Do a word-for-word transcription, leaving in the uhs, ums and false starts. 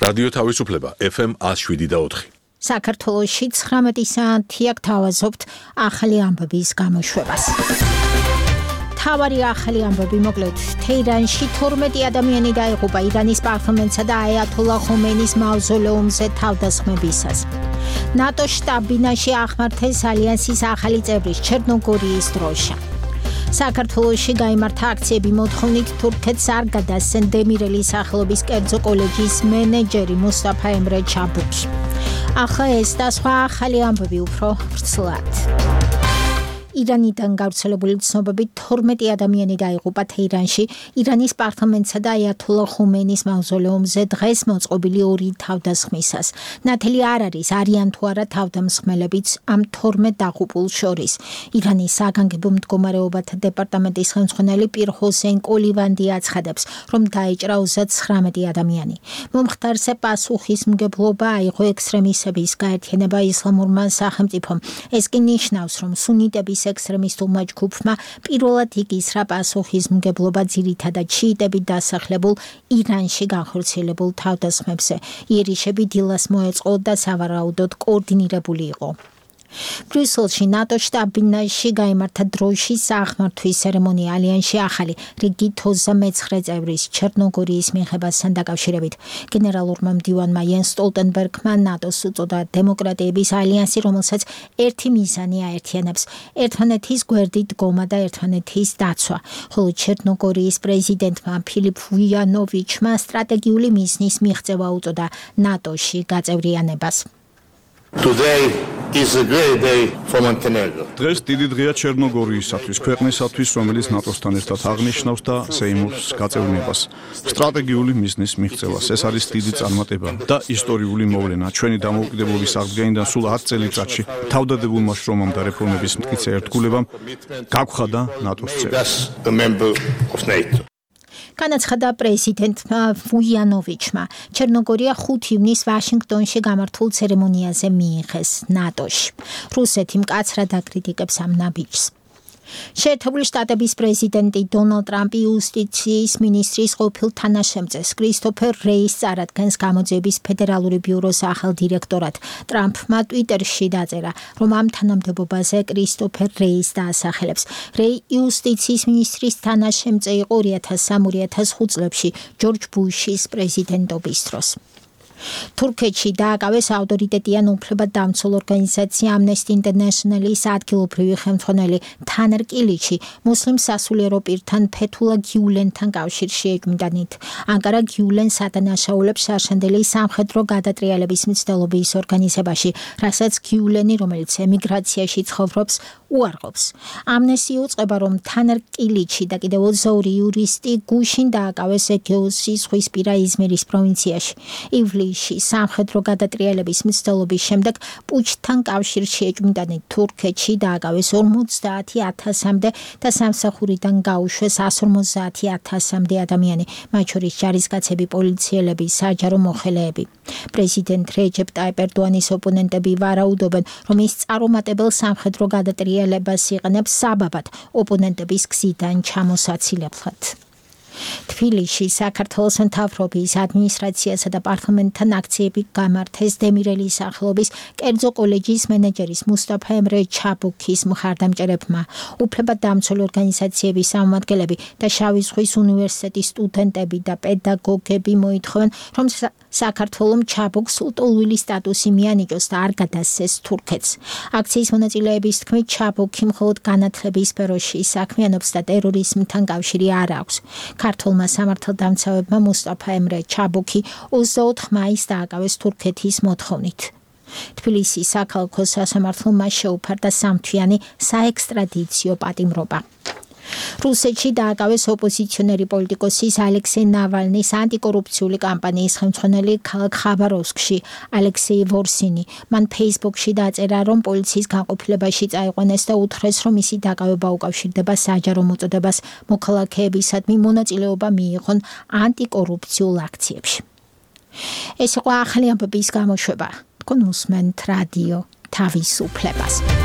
რადიო თავისუფლება ეფ ემ one oh seven point four. საქართველოში ცხრამეტი საათი აქ თავაზობთ ახალი ამბების გამოშვებას. თავარი ახალი ამბები მოკლედ თეირანში თორმეტი ადამიანი დაიღუპა ირანის პარლამენტსა და აიათოლა ხომეინის მავზოლეუმზე თავდასხმებისას. ნატოს შტაბ-ბინაში აღმართეს ალიანსის ახალი წევრის ჩერნოგორიის დროშა. საქართველოში გაიმართა აქციები მოთხოვნით თურქეთს არ გადასცენ დემირელის სახელობის კერძო კოლეჯის მენეჯერი მუსტაფა ემრე ჩაბუკი. ახლა ეს და სხვა ახალი ამბები უფრო ვრცლად. ირანიდან გავრცელებული ცნობებით თორმეტი ადამიანი დაიღუპა თეირანში ირანის პარლამენტსა და აიათოლა ხომეინის მავზოლეუმზე დღეს მოწყობილი ორი თავდასხმისას. ნათელი არ არის არიან თუ არა თავდამსხმელებიც ამ თორმეტ დაღუპულ შორის. ირანის საგანგებო მდგომარეობათა დეპარტამენტის ხელმძღვანელი პირ ჰოსეინ კოლივანდი აცხადებს, რომ დაიჭრა ოცდათხრამეტი ადამიანი. მომხდარზე პასუხისმგებლობა აიღო ექსტრემისტების გაერთიანება ისლამურმა სახელმწიფომ. ეს კი ნიშნავს, რომ სუნიტების ექსტრემისტულმა ჯგუფმა პირველად იგისრა პასუხისმგებლობა ძირითადად შიიტებით დასახლებულ ირანში განხორციელებულ თავდასხმებზე. იერიშები დილას მოეწყო და სავარაუდოდ კოორდინირებული იყო. ბრიუსელში ნატოს შტაბ-ბინაში გაიმართა დროშის აღმართვის ცერემონია ალიანსში ახალი რიგით ოცდამეცხრე წევრის ჩერნოგორიის მიღებასთან დაკავშირებით. გენერალურმა მდივანმა იენს სტოლტენბერგმა ნატოს უწოდა დემოკრატიების ალიანსი, რომელსაც ერთი მიზანი აერთიანებს: ერთმანეთის გვერდით დგომა და ერთმანეთის დაცვა. ხოლო ჩერნოგორიის პრეზიდენტმა ფილიპ ვუიანოვიჩმა სტრატეგიული მიზნის მიღწევა უწოდა ნატოში გაწევრიანებას. Today is a great day for Montenegro. დღეს დიდი დღეა ჩერნოგორიისათვის, ქვეყნისათვის, რომელიც ნატოსთან ერთად აღნიშნავს და სეიმურს გაწევრიანებას. სტრატეგიული მიზნის მიღწევას. ეს არის დიდი წარმატება და ისტორიული მოვლენა. ჩვენი დამოუკიდებლობის აღდგენიდან სულ ათ წელიწადში თავდადებულმა შრომამ და რეფორმების მტკიცე ერთგულებამ გაგხადა ნატოს წევრი. განაცხადა პრეზიდენტმა ვუიანოვიჩმა. ჩერნოგორია ხუთი ივნისს ვაშინგტონში გამართულ ცერემონიაზე მიიღეს ნატოში. რუსეთი მკაცრად აკრიტიკებს ამ ნაბიჯს. შეერთებული შტატების პრეზიდენტი დონალდ ტრამპი იუსტიციის მინისტრის ყოფილ თანაშემწეს კრისტოფერ რეის წარადგენს გამოძიების ფედერალური ბიუროს ახალ დირექტორად. ტრამპმა ტვიტერში დაწერა, რომ ამ თანამდებობაზე კრისტოფერ რეის დაასახელებს. რეი იუსტიციის მინისტრის თანაშემწე იყო ორი ათას სამი ორი ათას ხუთ წლებში ჯორჯ ბუშის პრეზიდენტობის დროს. თურქეთში დააკავეს ავტორიტეტიან უფლებადამცველ ორგანიზაცია ამნესტი ინტერნეშნალის ადგილობრივი ხელმძღვანელი თანერ კილიჩი მუსლიმ სასულიერო პირთან ფეთულა გიულენთან კავშირში ეკმდანით. ანკარა გიულენს ადანაშაულებს შარშანდელი სამხედრო გადატრიალების მცდელობის ორგანიზებაში, რასაც გიულენი, რომელიც ემიგრაციაში ცხოვრობს, უარყოფს. ამნესტი უწყება, რომ თანერ კილიჩი და კიდევ ოცდა ორი იურისტი გუშინ დააკავეს ეგეოსის ზღვისპირა იზმირის პროვინციაში. ივლისში სამხედრო გადატრიალების მცდელობის შემდეგ პუჩთან კავშირში ეჭვმიტანით თურქეთში დააკავეს ორმოცდაათი ათასამდე და სამსახურიდან გაუშვეს εκατს ორმოცდაათი ათასამდე ადამიანი, მათ შორის ჯარისკაცები, პოლიციელები, საჯარო მოხელეები. პრეზიდენტ რეჯეპ ტაიპ ერდოანის ოპონენტები ვარაუდობენ, რომ ის წარუმატებელ სამხედრო გადატრიალებას იყენებს საბაბად ოპონენტების გზიდან ჩამოსაცილებლად. თბილისში საქართველოს მთავრობის ადმინისტრაციასა და პარლამენტთან აქციები გამართეს დემირელის სახელობის კერძო კოლეჯის მენეჯერის მუსტაფა ემრე ჩაბუკის მხარდამჭერებმა. უფლებადამცველი ორგანიზაციების წარმომადგენლები და შავი ზღვის უნივერსიტეტის სტუდენტები და პედაგოგები მოითხოვენ, რომ საქართველომ ჩაბუკს ლტოლვილი სტატუსი მიანიჭოს და არ გადასცეს თურქეთს. აქციის მონაწილეების თქმით, ჩაბუკი მხოლოდ განათლების სფეროში საქმიანობს და ტერორიზმთან კავშირი არ აქვს. ქართულმა სამართალდამცავებმა მუსტაფა ემრე ჩაბუკი ოცდაოთხ მაისს დააკავეს თურქეთის მოთხოვნით. თბილისის საქალაქო სასამართლომ მას შეუფარდა სამთვიანი საექსტრადიციო პატიმრობა. რუსეთში დააკავეს ოპოზიციონერი პოლიტიკოსის ალექსეი ნავალნის ანტიკორუფციული კამპანიის ხელმძღვანელი ქალაქ ხაბაროვსკში ალექსეი ვორსინი. მან ფეისბუქში დაწერა, რომ პოლიციის განყოფილებაში წაიყვანეს და უთხრეს, რომ მისი დაკავება უკავშირდება საჯარო მოწოდებას მოქალაქეებისადმი მონაწილეობა მიიღონ ანტიკორუფციულ აქციებში. ეს იყო ახალი ამბების გამოშვება. თქვენ უსმენთ რადიო თავისუფლებას.